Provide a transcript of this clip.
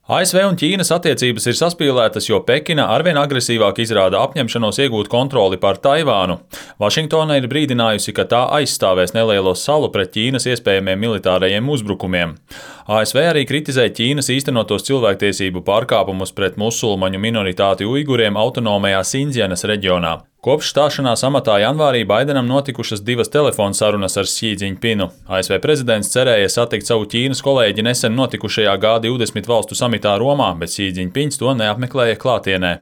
ASV un Ķīnas attiecības ir saspīlētas, jo Pekina arvien agresīvāk izrāda apņemšanos iegūt kontroli pār Taivānu. Vašingtona ir brīdinājusi, ka tā aizstāvēs nelielo salu pret Ķīnas iespējamiem militārajiem uzbrukumiem. ASV arī kritizē Ķīnas īstenotos cilvēktiesību pārkāpumus pret musulmaņu minoritāti uiguriem autonomajā Sindzjanas reģionā. Kopš stāšanās amatā janvārī Baidenam notikušas 2 telefona sarunas ar Xi Džiņpinu. ASV prezidents cerēja satikt savu Ķīnas kolēģi nesen notikušajā G20 valstu samitā Romā, bet Xi Džiņpins to neapmeklēja klātienē.